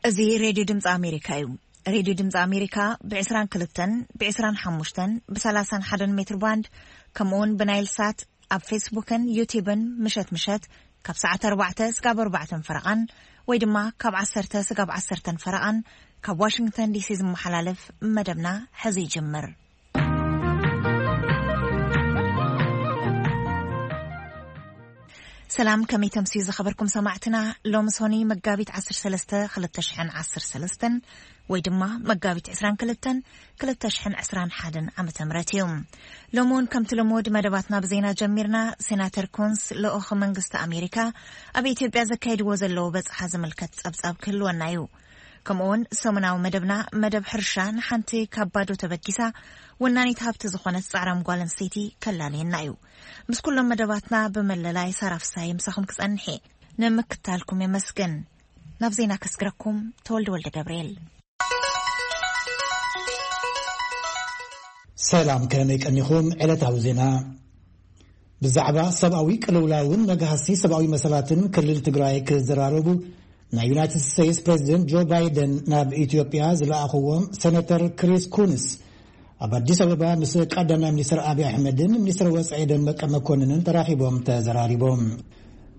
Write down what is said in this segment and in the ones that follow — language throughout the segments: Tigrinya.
እዚ ሬድዮ ድምፂ ኣሜሪካ እዩ። ሬድዮ ድምፂ ኣሜሪካ ብ22፣ ብ25፣ ብ31 ሜትር ባንድ፣ ከምኡ እውን ብናይል ሳት፣ ኣብ ፌስቡክን ዩቲብን ምሸት ምሸት ካብ ሰዓት ኣርባዕተ ስጋብ ኣርባዕተን ፈረቓን ወይ ድማ ካብ ዓሰርተ ስጋብ ዓሰርተን ፈረቓን ካብ ዋሽንግተን ዲሲ ዝመሓላለፍ መደብና ሕዚ ይጅምር። ሰላም፣ ከመይ ተምስዩ ዝኸበርኩም ሰማዕትና? ሎሚ ሶኒ መጋቢት ዓሰርተ ሰለስተ ክልተ ሽሕን ዓሰርተ ሰለስተን ወይ ድማ መጋቢት ዕስራን ክልተን ክልተ ሽሕን ዕስራን ሓደን ዓመተ ምህረት እዩ። ሎሚ እውን ከምቲ ልሙድ መደባትና ብዜና ጀሚርና። ሴናተር ኮንስ ልኡኽ መንግስቲ ኣሜሪካ ኣብ ኢትዮጵያ ዘካይድዎ ዘለዉ በጽሓ ዝምልከት ጸብጻብ ክህልወና እዩ። ከምኡውን ሰሙናዊ መደብና መደብ ሕርሻ ንሓንቲ ካብ ባዶ ተበጊሳ ወናኒት ሃብቲ ዝኾነት ጻዕራም ጓል ኣንስተይቲ ከላልየና እዩ። ምስ ኩሎም መደባትና ብመለላይ ሳራ ፍሳይ ምሳኹም ክጸንሕ እየ። ንምክታልኩም የመስግን። ናብ ዜና ከስግረኩም ተወልደ ወልደ ገብርኤል። ሰላም፣ ከመይ ቀኒኹም? ዕለታዊ ዜና። ብዛዕባ ሰብኣዊ ቅልውላውን መግሃሲ ሰብኣዊ መሰላትን ክልል ትግራይ ክዘራረቡ ናይ ዩናይትድ ስቴትስ ፕሬዚደንት ጆ ባይደን ናብ ኢትዮጵያ ዝለኣኽዎም ሴኔተር ክሪስ ኩንስ ኣብ ኣዲስ ኣበባ ምስ ቀዳማይ ሚኒስትር ኣብይ ኣሕመድን ሚኒስትር ወጻኢ ደመቀ መኮንንን ተራኺቦም ተዘራሪቦም።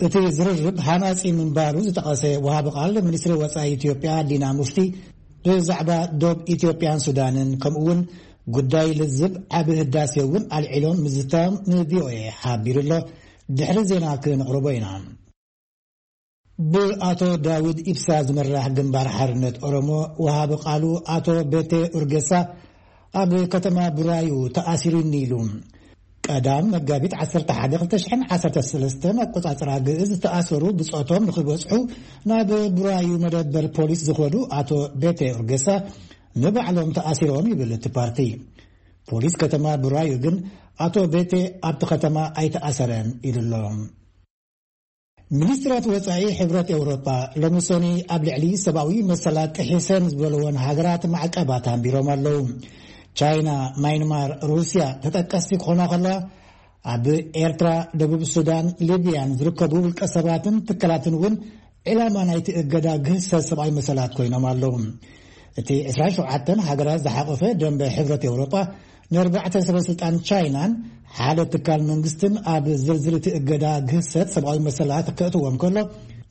እቲ ዝርርብ ሃናጺ ምንባሩ ዝጠቐሰ ወሃቢ ቃል ሚኒስትሪ ወጻኢ ኢትዮጵያ ዲና ሙፍቲ ብዛዕባ ዶብ ኢትዮጵያን ሱዳንን ከምኡ እውን ጉዳይ ልዝብ ዓቢ ህዳሴ እውን ኣልዒሎም ምዝታም ንቪኦኤ ሓቢሩ ኣሎ። ድሕሪ ዜና ክነቕርቦ ኢና። ብኣቶ ዳውድ ኢብሳ ዝምራሕ ግንባር ሓርነት ኦሮሞ ወሃቢ ቃሉ ኣቶ ቤቴ ኡርጌሳ ኣብ ከተማ ቡራዩ ተኣሲሩኒ ኢሉ። ቀዳም መጋቢት ዓሰርተ ሓደ ክልተ ሽሕን ዓሰርተ ሰለስተን ኣቆጻጽራ ግእዝ ዝተኣሰሩ ብጾቶም ንኽበጽሑ ናብ ቡራዩ መደበር ፖሊስ ዝኾዱ ኣቶ ቤቴ ኡርጌሳ ንባዕሎም ተኣሲሮም ይብል እቲ ፓርቲ። ፖሊስ ከተማ ቡራዩ ግን ኣቶ ቤቴ ኣብቲ ከተማ ኣይተኣሰረን ኢሉ ኣሎ። ሚኒስትራት ወጻኢ ሕብረት ኤውሮጳ ሎሚ ሰኒ ኣብ ልዕሊ ሰብኣዊ መሰላት ጥሒሰን ዝበልወን ሃገራት ማዕቀባት ኣንቢሮም ኣለዉ። ቻይና፣ ማይንማር፣ ሩስያ ተጠቀስቲ ክኾና ከለዋ፣ ኣብ ኤርትራ፣ ደቡብ ሱዳን፣ ሊብያን ዝርከቡ ውልቀ ሰባትን ትካላትን እውን ዒላማ ናይቲ እገዳ ግህሰት ሰብኣዊ መሰላት ኮይኖም ኣለዉ። እቲ ዕስራን ሸውዓተን ሃገራት ዝሓቆፈ ደንበ ሕብረት ኤውሮጳ ንኣርባዕተ ሰበ ስልጣን ቻይናን ሓደ ትካል መንግስትን ኣብ ዝርዝር እቲ እገዳ ግህሰት ሰብኣዊ መሰላት ከእትዎም ከሎ፣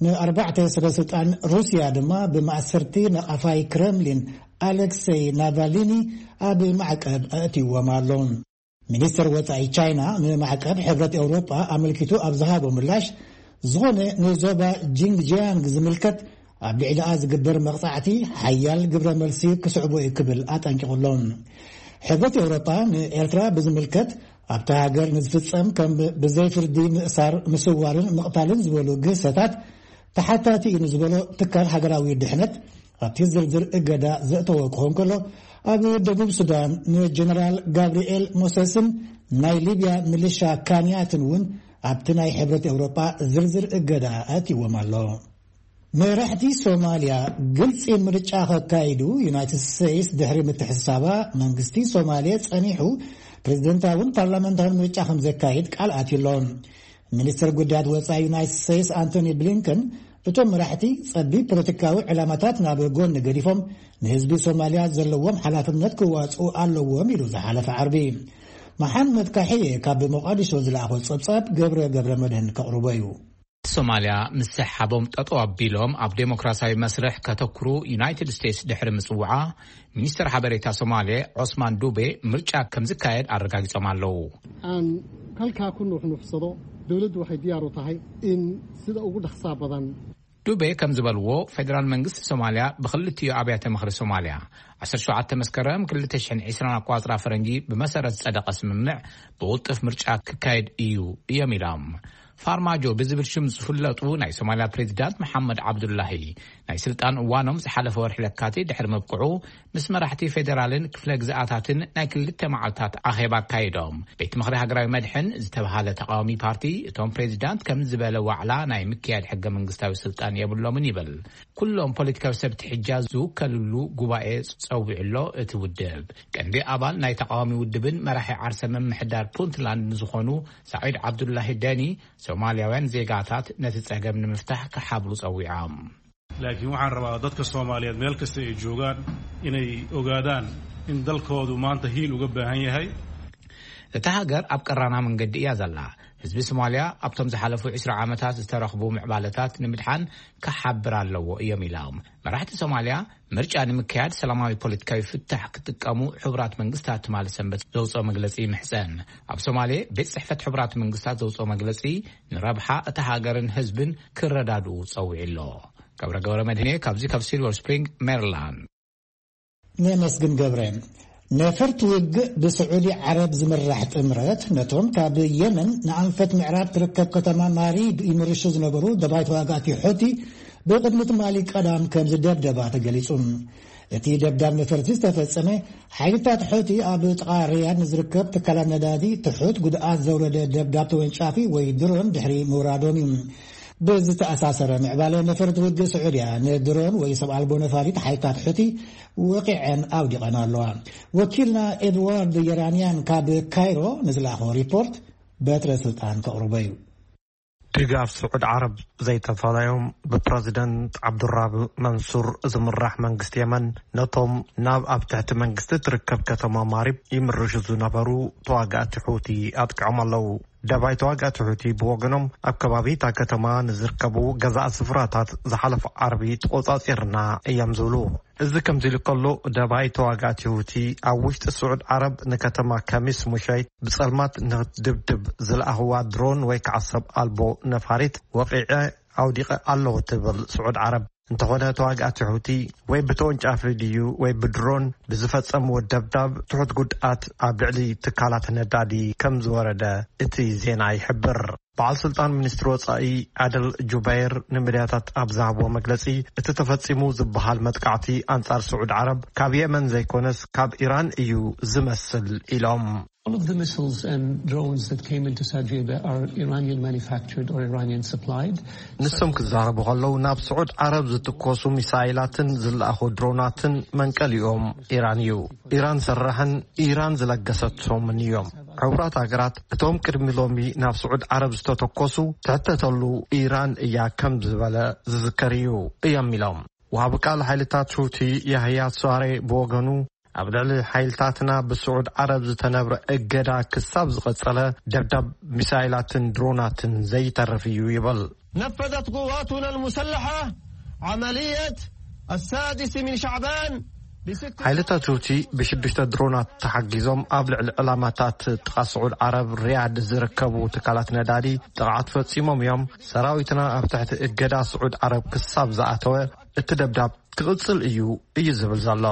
ንኣርባዕተ ሰበ ስልጣን ሩስያ ድማ ብማእሰርቲ ነቓፋይ ክረምሊን ኣሌክሴይ ናቫልኒ ኣብ ማዕቀብ ኣእትይዎም ኣሎ። ሚኒስትር ወጻኢ ቻይና ንማዕቀብ ሕብረት ኤውሮጳ ኣመልኪቱ ኣብ ዝሃቦ ምላሽ፣ ዝኾነ ንዞባ ጂንግጂያንግ ዝምልከት ኣብ ልዕሊኣ ዝግበር መቕጻዕቲ ሓያል ግብረ መልሲ ክስዕቦ እዩ ክብል ኣጠንቂቑ ኣሎ። ሕብረት ኤውሮጳ ንኤርትራ ብዝምልከት ኣብታ ሃገር ንዝፍጸም ከም ብዘይ ፍርዲ ምእሳር፣ ምስዋርን ምቕታልን ዝበሉ ግህሰታት ተሓታቲ እዩ ንዝበሎ ትካል ሃገራዊ ድሕነት ኣብቲ ዝርዝር እገዳ ዘእተወ ክኸውን ከሎ፣ ኣብ ደቡብ ሱዳን ንጀነራል ጋብርኤል ሞሰስን ናይ ሊብያ ሚሊሻ ካንያትን እውን ኣብቲ ናይ ሕብረት ኤውሮጳ ዝርዝር እገዳ ኣእትይዎም ኣሎ። መራሕቲ ሶማልያ ግልጺ ምርጫ ከካይዱ ዩናይትድ ስቴትስ ድሕሪ ምትሕስሳባ፣ መንግስቲ ሶማልያ ጸኒሑ ፕሬዝደንታውን ፓርላመንታውን ምርጫ ከም ዘካይድ ቃል ኣትዩ ኣሎ። ሚኒስትር ጉዳያት ወጻኢ ዩናይትድ ስቴትስ ኣንቶኒ ብሊንከን፣ እቶም መራሕቲ ጸቢብ ፖለቲካዊ ዕላማታት ናብ ጎኒ ገዲፎም፣ ንህዝቢ ሶማልያ ዘለዎም ሓላፍነት ክዋጽኡ ኣለዎም ኢሉ ዝሓለፈ ዓርቢ። መሓመድ ካሕየ ካብ ሞቃዲሾ ዝለኣኾ ጸብጻብ ገብረ ገብረ መድህን ከቕርቦ እዩ። ሶማልያ ምስ ሰሓቦም ጠጠው ኣቢሎም ኣብ ዴሞክራሲያዊ መስርሕ ከተኩሩ ዩናይትድ ስቴትስ ድሕሪ ምጽውዓ፣ ሚኒስትር ሓበሬታ ሶማሌ ዖስማን ዱቤ ምርጫ ከም ዝካየድ ኣረጋጊጾም ኣለዉ። Aan halkaa ku nuuxnuuxsado, dowladdu waxay diyaar u tahay in sida ugu dhaqsaha badan. ዱቤ ከም ዝበልዎ፣ ፌደራል መንግስቲ ሶማልያ ብክልቲኡ ኣብያተ ምኽሪ ሶማልያ ዓሰርተ ሸውዓተ መስከረም ክልተ ሽሕን ዕስራን ኣቋጽራ ፈረንጂ ብመሰረት ዝጸደቐ ስምምዕ ብቕልጡፍ ምርጫ ክካየድ እዩ እዮም ኢሎም። ፋርማጆ ብዝብል ሽም ዝፍለጡ ናይ ሶማልያ ፕሬዚዳንት መሓመድ ዓብዱላሂ ናይ ስልጣን እዋኖም ዝሓለፈ ወርሒ ለካቲት ድሕሪ ምብቅዑ፣ ምስ መራሕቲ ፌደራልን ክፍለ ግዝኣታትን ናይ ክልተ መዓልታት ኣኼባ ኣካይዶም። ቤት ምኽሪ ሃገራዊ መድሕን ዝተብሃለ ተቃዋሚ ፓርቲ፣ እቶም ፕሬዚዳንት ከም ዝበለ ዋዕላ ናይ ምክያድ ሕገ መንግስታዊ ስልጣን የብሎምን ይብል። ኩሎም ፖለቲካዊ ሰብ ትሕጃ ዝውከልሉ ጉባኤ ጸዊዑ ኣሎ እቲ ውድብ። ቀንዲ ኣባል ናይ ተቃዋሚ ውድብን መራሒ ዓርሰ ምምሕዳር ፑንትላንድ ንዝኾኑ ሳዒድ ዓብዱላሂ ደኒ፣ ሶማልያውያን ዜጋታት ነቲ ጸገም ንምፍታሕ ክሓብሩ ጸዊዖም። Laakiin waxaan rabaa dadka Soomaaliyeed meel kasta ay joogaan inay ogaadaan in dalkoodu maanta hiil uga baahan yahay. እታ ሃገር ኣብ ቀራና መንገዲ እያ ዘላ። ህዝቢ ሶማልያ ኣብቶም ዝሓለፉ ዕስራ ዓመታት ዝተረኽቡ ምዕባለታት ንምድሓን ክሓብር ኣለዎ እዮም ኢሎም። መራሕቲ ሶማልያ ምርጫ ንምክያድ ሰላማዊ ፖለቲካዊ ፍታሕ ክጥቀሙ ሕቡራት መንግስታት ትማሊ ሰንበት ዘውፅኦ መግለፂ ይምሕፀን። ኣብ ሶማሌ ቤት ፅሕፈት ሕቡራት መንግስታት ዘውፅኦ መግለፂ ንረብሓ እታ ሃገርን ህዝብን ክረዳድኡ ፀዊዑ ኣሎ። ገብረ ገብረ መድህኔ ካብዚ ካብ ሲልቨር ስፕሪንግ ሜሪላንድ። ነመስግን ገብረ። ነፈርቲ ውግእ ብስዑዲ ዓረብ ዝምራሕ ጥምረት ነቶም ካብ የመን ንኣንፈት ምዕራብ ትርከብ ከተማ ማሪብ ይምርሹ ዝነበሩ ደባይ ተዋጋእቲ ሑቲ ብቕድሚ ትማሊ ቀዳም ከም ዝደብደባ ተገሊጹ። እቲ ደብዳብ ነፈርቲ ዝተፈጸመ ሓይልታት ሑቲ ኣብ ጥቓ ሪያድ ንዝርከብ ትካላት ነዳዲ ትሑት ጉድኣት ዘውረደ ደብዳብ ተወንጫፊ ወይ ድሮን ድሕሪ ምውራዶም እዩ። ብዝተኣሳሰረ ምዕባለ ነፈርቲ ውግእ ስዑድያ ንድሮን ወይ ሰብ ኣልቦ ነፋሪት ሓይልታት ሑቲ ወቂዐን ኣውዲቐን ኣለዋ። ወኪልና ኤድዋርድ የራንያን ካብ ካይሮ ንዝለኣኾ ሪፖርት በትረ ስልጣን ከቕርቦ እዩ። ድጋፍ ስዑድ ዓረብ ዘይተፈለዮም ብፕረዚደንት ዓብዱራብ መንሱር ዝምራሕ መንግስቲ የመን ነቶም ናብ ኣብ ትሕቲ መንግስቲ ትርከብ ከተማ ማሪብ ይምርሹ ዝነበሩ ተዋጋእቲ ሑቲ ኣጥቅዖም ኣለዉ። ደባይ ተዋጋእቲ ሑቲ ብወገኖም ኣብ ከባቢ እታ ከተማ ንዝርከቡ ገዛእ ስፍራታት ዝሓለፈ ዓርቢ ተቖጻጺርና እዮም ዝብሉ። እዚ ከምዚ ኢሉ ከሎ ደባይ ተዋጋእቲ ሑቲ ኣብ ውሽጢ ስዑድ ዓረብ ንከተማ ከሚስ ሙሸይት ብጸልማት ንክትድብድብ ዝለኣኽዋ ድሮን ወይ ከዓ ሰብ ኣልቦ ነፋሪት ወቒዐ ኣውዲቐ ኣለኹ ትብል ስዑድ ዓረብ። እንተኾነ ተዋጋእቲ ሑቲ ወይ ብተወንጫፊ ድዩ ወይ ብድሮን ብዝፈጸምዎ ደብዳብ ትሑት ጉድኣት ኣብ ልዕሊ ትካላት ነዳዲ ከም ዝወረደ እቲ ዜና ይሕብር። በዓል ስልጣን ሚኒስትሪ ወጻኢ ዓደል ጁበይር ንሚድያታት ኣብ ዝሃብዎ መግለጺ እቲ ተፈጺሙ ዝበሃል መጥቃዕቲ ኣንጻር ስዑድ ዓረብ ካብ የመን ዘይኮነስ ካብ ኢራን እዩ ዝመስል ኢሎም። All of the missiles and drones that came into Saudi Arabia are Iranian manufactured or Iranian supplied. ንሶም ክዛረቡ ከለዉ ናብ ስዑድ ዓረብ ዝትኮሱ ሚሳይላትን ዝለኣኹ ድሮናትን መንቀሊኦም ኢራን እዩ። ኢራን ሰራሕን ኢራን ዝለገሰቶምን እዮም። ሕቡራት ሃገራት እቶም ቅድሚ ሎሚ ናብ ስዑድ ዓረብ ዝተተኮሱ ትሕተተሉ ኢራን እያ ከም ዝበለ ዝዝከር እዩ እዮም ኢሎም። ወሃቢ ቃል ሓይልታት ሑቲ ያህያ ሷሬ ብወገኑ ኣብ ልዕሊ ሓይልታትና ብስዑድ ዓረብ ዝተነብረ እገዳ ክሳብ ዝቐጸለ ደብዳብ ሚሳይላትን ድሮናትን ዘይተርፍ እዩ ይብል። نفذت قواتنا المسلحة عملية السادس من شعبان بست ሓይልታት ሑቲ ብሽዱሽተ ድሮናት ተሓጊዞም ኣብ ልዕሊ ዕላማታት ጥቓ ስዑድ ዓረብ ሪያድ ዝርከቡ ትካላት ነዳዲ ጥቕዓት ፈጺሞም እዮም። ሰራዊትና ኣብ ትሕቲ እገዳ ስዑድ ዓረብ ክሳብ ዝኣተወ እቲ ደብዳብ ክቕጽል እዩ እዩ ዝብል ዘሎ።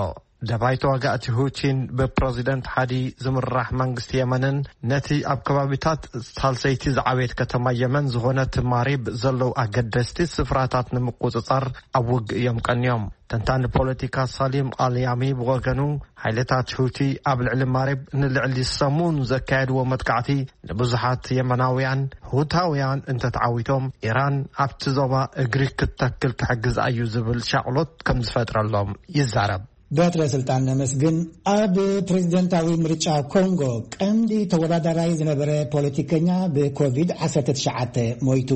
ደባይ ተዋጋእቲ ሁቲን ብፕረዚደንት ሓዲ ዝምራሕ መንግስቲ የመንን ነቲ ኣብ ከባቢታት ሳልሰይቲ ዝዓበየት ከተማ የመን ዝኾነት ማሪብ ዘለዉ ኣገደስቲ ስፍራታት ንምቁጽጻር ኣብ ውግእ እዮም ቀንዮም። ተንታኒ ፖለቲካ ሳሊም ኣልያሚ ብወገኑ ሓይልታት ሁቲ ኣብ ልዕሊ ማሪብ ንልዕሊ ሰሙን ዘካየድዎ መጥቃዕቲ ንብዙሓት የመናውያን ሁታውያን እንተተዓዊቶም ኢራን ኣብቲ ዞባ እግሪ ክትተክል ክሕግዛ እዩ ዝብል ሻቕሎት ከም ዝፈጥረሎም ይዛረብ። በትረ ስልጣን ነመስግን። ኣብ ፕሬዝደንታዊ ምርጫ ኮንጎ ቀንዲ ተወዳዳራይ ዝነበረ ፖለቲከኛ ብኮቪድ ዓሰርተ ትሽዓተ ሞይቱ።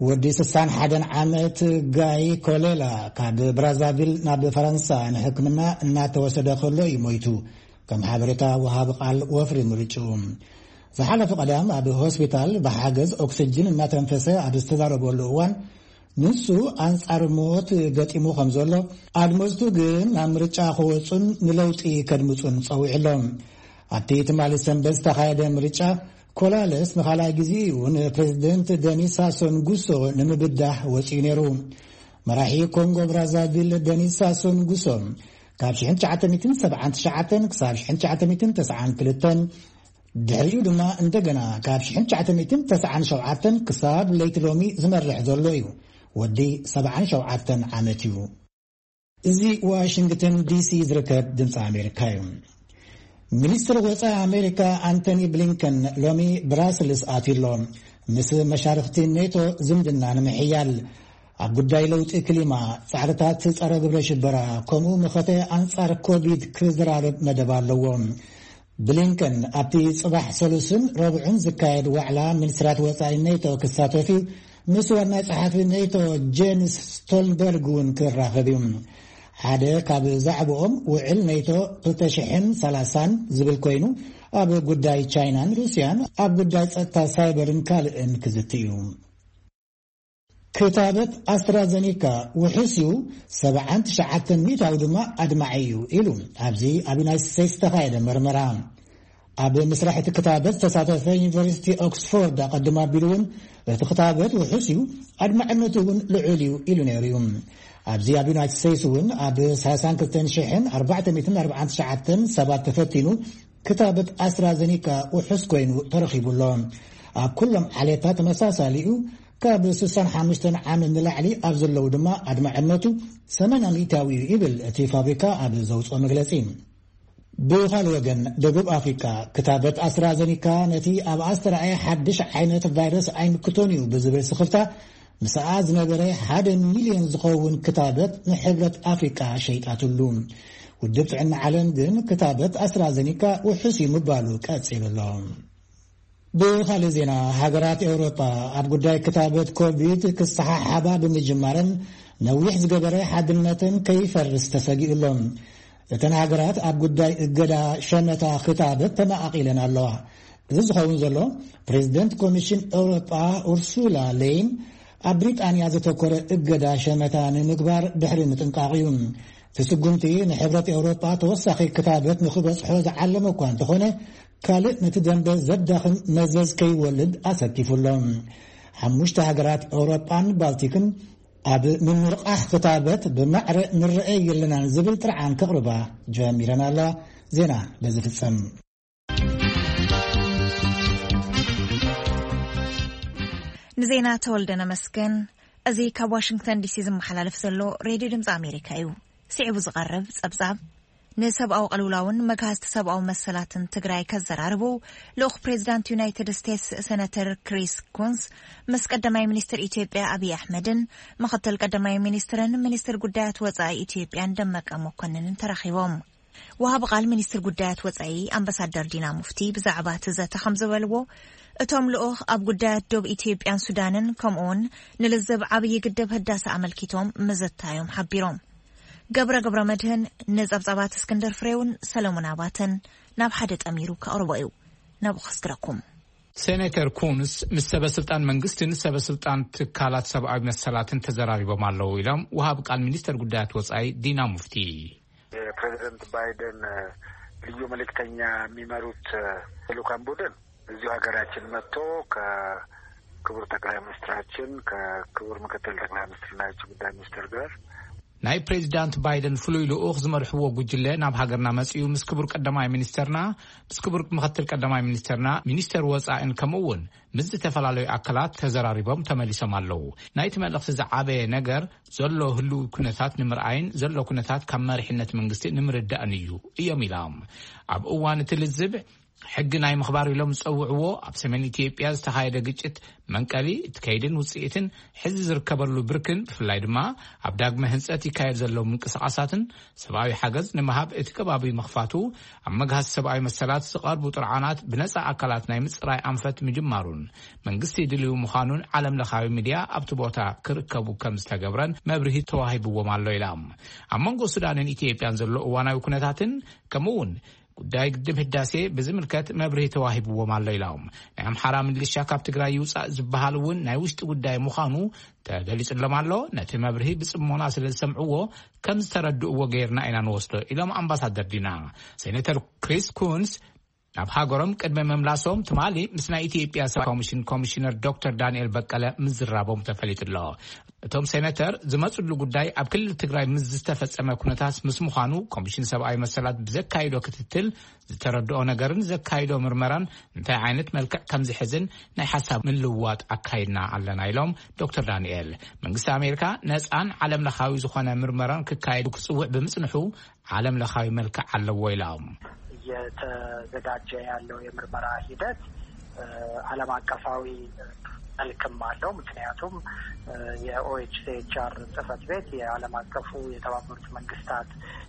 ወዲ ስሳን ሓደን ዓመት ጋይ ኮሌላ ካብ ብራዛቪል ናብ ፈረንሳ ንሕክምና እናተወሰደ ከሎ እዩ ሞይቱ፣ ከም ሓበሬታ ወሃቢ ቃል ወፍሪ ምርጭኡ። ዝሓለፈ ቀዳም ኣብ ሆስፒታል ብሓገዝ ኦክስጅን እናተንፈሰ ኣብ ዝተዛረበሉ እዋን ንሱ ኣንጻር ሞት ገጢሙ ከም ዘሎ፣ ኣድመጽቱ ግን ናብ ምርጫ ክወጹን ንለውጢ ከድምጹን ጸዊዑ ኣሎ። ኣብቲ ትማሊ ሰንበት ዝተኻየደ ምርጫ ኮላለስ ንኻልኣይ ግዜ እዩ ንፕሬዝደንት ደኒስ ሳሶን ጉሶ ንምብዳህ ወጺኡ ነይሩ። መራሒ ኮንጎ ብራዛቪል ደኒስ ሳሶን ጉሶ ካብ ሽሕን ትሽዓተ ሚእትን ሰብዓን ትሽዓተን ክሳብ ሽሕን ትሽዓተ ሚእትን ተስዓን ክልተን፣ ድሕሪኡ ድማ እንደገና ካብ ሽሕን ትሽዓተ ሚእትን ተስዓን ሸውዓተን ክሳብ ለይቲ ሎሚ ዝመርሕ ዘሎ እዩ። ወዲ ሰብዓን ሸውዓተን ዓመት እዩ። እዚ ዋሽንግተን ዲሲ ዝርከብ ድምፂ ኣሜሪካ እዩ። ሚኒስትር ወፃኢ ኣሜሪካ ኣንቶኒ ብሊንከን ሎሚ ብራስልስ ኣትዩ ኣሎ። ምስ መሻርኽቲ ኔቶ ዝምድና ንምሕያል፣ ኣብ ጉዳይ ለውጢ ክሊማ፣ ጻዕርታት ጸረ ግብረ ሽበራ፣ ከምኡ መኸተ ኣንጻር ኮቪድ ክዝራረብ መደብ ኣለዎ። ብሊንከን ኣብቲ ጽባሕ ሰሉስን ረቡዕን ዝካየድ ዋዕላ ሚኒስትራት ወጻኢ ኔቶ ክሳተፍ እዩ። ምስ ዋና ጸሓፊ ኔቶ ጄንስ ስቶልንበርግ እውን ክራኸብ እዩ። ሓደ ካብ ዛዕባኦም ውዕል ኔቶ ክልተ ሽሕን ሰላሳን ዝብል ኮይኑ፣ ኣብ ጉዳይ ቻይናን ሩስያን፣ ኣብ ጉዳይ ጸጥታ ሳይበርን ካልእን ክዝቲ እዩ። ክታበት ኣስትራዘኒካ ውሑስ እዩ፣ ሰብዓን ትሽዓተን ሚእታዊ ድማ ኣድማዒ እዩ ኢሉ ኣብዚ ኣብ ዩናይትድ ስቴትስ ዝተኻየደ መርመራ። ኣብ ምስራሕ እቲ ክታበት ዝተሳተፈ ዩኒቨርሲቲ ኦክስፎርድ ኣቐድም ኣቢሉ እውን እቲ ክታበት ውሑስ እዩ፣ ኣድማዕነቱ እውን ልዑል እዩ ኢሉ ነይሩ እዩ። ኣብዚ ኣብ ዩናይትድ ስቴትስ እውን ኣብ ሰላሳን ክልተን ሽሕን ኣርባዕተ ሚእትን ኣርባዓን ትሽዓተን ሰባት ተፈቲኑ ክታበት ኣስትራዘኒካ ውሑስ ኮይኑ ተረኺቡ ኣሎ። ኣብ ኩሎም ዓሌታት ተመሳሳሊ እዩ። ካብ ስሳን ሓሙሽተን ዓመት ንላዕሊ ኣብ ዘለዉ ድማ ኣድማዕነቱ ሰማንያ ሚእታዊ እዩ ይብል እቲ ፋብሪካ ኣብ ዘውፅኦ መግለፂ። ብኻልእ ወገን፣ ደቡብ ኣፍሪካ ክታበት ኣስትራዘኒካ ነቲ ኣብ ኣስተርኣየ ሓድሽ ዓይነት ቫይረስ ኣይምክቶን እዩ ብዝብል ስኽፍታ ምስኣ ዝነበረ ሓደ ሚልዮን ዝኸውን ክታበት ንሕብረት ኣፍሪቃ ሸይጣትሉ። ውድብ ጥዕና ዓለም ግን ክታበት ኣስትራዘኒካ ውሑስ እዩ ምባሉ ቀጺሉ ኣሎ። ብኻልእ ዜና፣ ሃገራት ኤውሮጳ ኣብ ጉዳይ ክታበት ኮቪድ ክሰሓሓባ ብምጅማረን ነዊሕ ዝገበረ ሓድነተን ከይፈርስ ተሰጊኡ ኣሎ። እተን ሃገራት ኣብ ጉዳይ እገዳ ሸመታ ክታበት ተመቓቒለን ኣለዋ። እዚ ዝኸውን ዘሎ፣ ፕሬዚደንት ኮሚሽን ኤውሮጳ ኡርሱላ ሌይን ኣብ ብሪጣንያ ዘተኮረ እገዳ ሸመታ ንምግባር ድሕሪ ምጥንቃቕ እዩ። እቲ ስጉምቲ ንሕብረት ኤውሮጳ ተወሳኺ ክታበት ንኽበጽሖ ዝዓለመ እኳ እንተኾነ፣ ካልእ ነቲ ደንበ ዘዳኽም መዘዝ ከይወልድ ኣሰኪፉ ኣሎ። ሓሙሽተ ሃገራት ኤውሮጳን ባልቲክን ኣብ ምምርቓሕ ክታበት ብማዕረ ንረአ የለናን ዝብል ጥርዓን ከቕርባ ጀሚረን ኣለዋ። ዜና በዚ ፍጸም። ንዜና ተወልደ ነመስገን። እዚ ካብ ዋሽንግተን ዲሲ ዝመሓላለፍ ዘሎ ሬድዮ ድምፂ ኣሜሪካ እዩ። ስዒቡ ዝቐርብ ጸብጻብ፣ ንሰብኣዊ ቅልውላውን መግሃስቲ ሰብኣዊ መሰላትን ትግራይ ከዘራርቡ ልኡኽ ፕሬዚዳንት ዩናይትድ ስቴትስ ሴናተር ክሪስ ኩንስ ምስ ቀዳማይ ሚኒስትር ኢትዮጵያ ኣብይ ኣሕመድን ምኽትል ቀዳማይ ሚኒስትርን ሚኒስትር ጉዳያት ወጻኢ ኢትዮጵያን ደመቀ መኮንንን ተራኺቦም። ወሃቢ ቃል ሚኒስትር ጉዳያት ወጻኢ ኣምባሳደር ዲና ሙፍቲ ብዛዕባ እቲ ዘተ ከም ዝበልዎ፣ እቶም ልኡኽ ኣብ ጉዳያት ዶብ ኢትዮጵያን ሱዳንን ከምኡውን ንልዝብ ዓብዪ ግድብ ህዳሰ ኣመልኪቶም ምዝታዮም ሓቢሮም። ገብረ ገብረ መድህን ንጸብጻባት እስክንድር ፍሬውን ሰለሙን ኣባተን ናብ ሓደ ጠሚሩ ከቕርቦ እዩ። ናብኡ ከስግረኩም። ሴኔተር ኩንስ ምስ ሰበ ስልጣን መንግስትን ሰበ ስልጣን ትካላት ሰብኣዊ መሰላትን ተዘራሪቦም ኣለዉ ኢሎም ወሃብ ቃል ሚኒስተር ጉዳያት ወጻኢ ዲና ሙፍቲ። የፕሬዚደንት ባይደን ልዩ መልእክተኛ የሚመሩት ልኡካን ቡድን እዚሁ ሀገራችን መጥቶ ከክቡር ጠቅላይ ሚኒስትራችን ከክቡር ምክትል ጠቅላይ ሚኒስትርና የውጭ ጉዳይ ሚኒስትር ጋር ናይ ፕሬዚዳንት ባይደን ፍሉይ ልኡኽ ዝመርሕዎ ጉጅለ ናብ ሃገርና መጺኡ ምስ ክቡር ቀዳማይ ሚኒስተርና፣ ምስ ክቡር ምኽትል ቀዳማይ ሚኒስተርና፣ ሚኒስተር ወጻእን ከምኡ እውን ምስ ዝተፈላለዩ ኣካላት ተዘራሪቦም ተመሊሶም ኣለዉ። ናይቲ መልእኽቲ ዝዓበየ ነገር ዘሎ ህሉው ኩነታት ንምርኣይን ዘሎ ኩነታት ካብ መሪሕነት መንግስቲ ንምርዳእን እዩ እዮም ኢሎም። ኣብ እዋን እቲ ልዝብ ሕጊ ናይ ምኽባር ኢሎም ዝጸውዕዎ ኣብ ሰሜን ኢትዮጵያ ዝተኻየደ ግጭት መንቀሊ እቲ ከይድን ውጽኢትን ሕዚ ዝርከበሉ ብርክን ብፍላይ ድማ ኣብ ዳግመ ህንጸት ይካየድ ዘለዉ ምንቅስቓሳትን ሰብኣዊ ሓገዝ ንምሃብ እቲ ከባቢ ምኽፋቱ ኣብ መግሃሲ ሰብኣዊ መሰላት ዝቐርቡ ጥርዓናት ብነጻ ኣካላት ናይ ምጽራይ ኣንፈት ምጅማሩን መንግስቲ ድልዊ ምዃኑን ዓለም ለኻዊ ሚድያ ኣብቲ ቦታ ክርከቡ ከም ዝተገብረን መብርሂ ተዋሂብዎም ኣሎ ኢላ። ኣብ መንጎ ሱዳንን ኢትዮጵያን ዘሎ እዋናዊ ኩነታትን ከምኡ እውን ጉዳይ ግድብ ህዳሴ ብዝምልከት መብርሂ ተዋሂብዎም ኣሎ ኢሎም። ናይ ኣምሓራ ምልሻ ካብ ትግራይ ይውፃእ ዝበሃል እውን ናይ ውሽጢ ጉዳይ ምዃኑ ተገሊፅሎም ኣሎ። ነቲ መብርሂ ብፅሞና ስለ ዝሰምዕዎ ከም ዝተረድእዎ ገይርና ኢና ንወስዶ ኢሎም ኣምባሳደር ዲና። ሴኔተር ክሪስ ኩንስ ናብ ሃገሮም ቅድሚ ምምላሶም ትማሊ ምስ ናይ ኢትዮጵያ ሰብኣዊ ኮሚሽን ኮሚሽነር ዶክተር ዳንኤል በቀለ ምዝራቦም ተፈሊጡ ኣሎ። እቶም ሴነተር ዝመፅሉ ጉዳይ ኣብ ክልል ትግራይ ምስ ዝተፈፀመ ኩነታት ምስ ምዃኑ ኮሚሽን ሰብኣዊ መሰላት ብዘካይዶ ክትትል ዝተረድኦ ነገርን ዘካይዶ ምርመራን እንታይ ዓይነት መልክዕ ከም ዝሕዝን ናይ ሓሳብ ምልውዋጥ ኣካይድና ኣለና ኢሎም ዶክተር ዳንኤል። መንግስቲ ኣሜሪካ ነፃን ዓለም ለኻዊ ዝኾነ ምርመራን ክካየድ ክፅውዕ ብምፅንሑ ዓለም ለኻዊ መልክዕ ኣለዎ ኢሎም። እየተዘጋጀ ያለው የምርመራ ሂደት ዓለም አቀፋዊ መልክም አለው። ምክንያቱም የኦኤችሲኤችአር ጽህፈት ቤት፣ የዓለም አቀፉ የተባበሩት መንግስታት